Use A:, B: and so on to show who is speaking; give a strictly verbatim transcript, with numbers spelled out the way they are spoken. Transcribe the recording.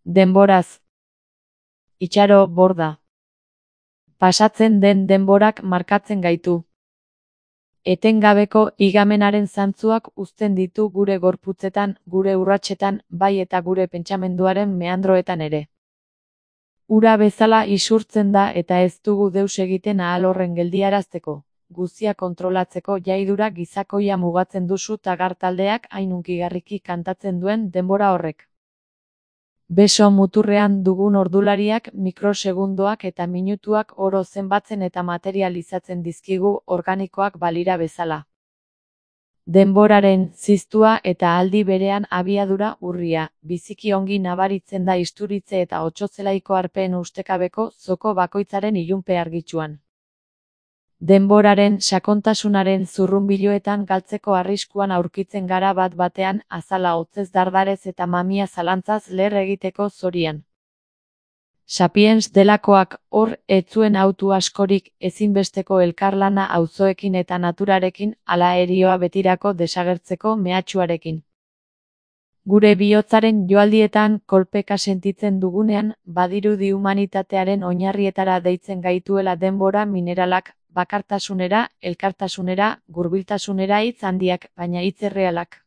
A: Denboraz. Itxaro, borda. Pasatzen den denborak markatzen gaitu. Etengabeko igamenaren zantzuak uzten ditu gure gorputzetan, gure urratsetan, bai eta gure pentsamenduaren meandroetan ere. Ura bezala isurtzen da eta ez dugu deus egiten ahal horren geldiarazteko. Guzia kontrolatzeko jaidura gizakoia mugatzen duzu tagar taldeak hain hunkigarriki kantatzen duen denbora horrek. Beso muturrean dugun ordulariak mikrosegundoak eta minutuak oro zenbatzen eta materializatzen dizkigu organikoak balira bezala. Denboraren ziztua eta aldi berean abiadura urria, biziki ongi nabaritzen da isturitze eta otsotzelaiko arpeen ustekabeko zoko bakoitzaren ilunpe argitsuan. Denboraren sakontasunaren zurrunbiloetan galtzeko arriskuan aurkitzen gara bat batean azala hotzez dardarez eta mamia zalantzaz leher egiteko zorian. Sapiens delakoak hor ez zuen autu askorik ezinbesteko elkarlana auzoekin eta naturarekin ala erioa betirako desagertzeko mehatxuarekin. Gure bihotzaren joaldietan kolpeka sentitzen dugunean, badirudi humanitatearen oinarrietara deitzen gaituela denbora mineralak, bakartasunera, elkartasunera, gurbiltasunera hitz handiak, baina hitz errealak.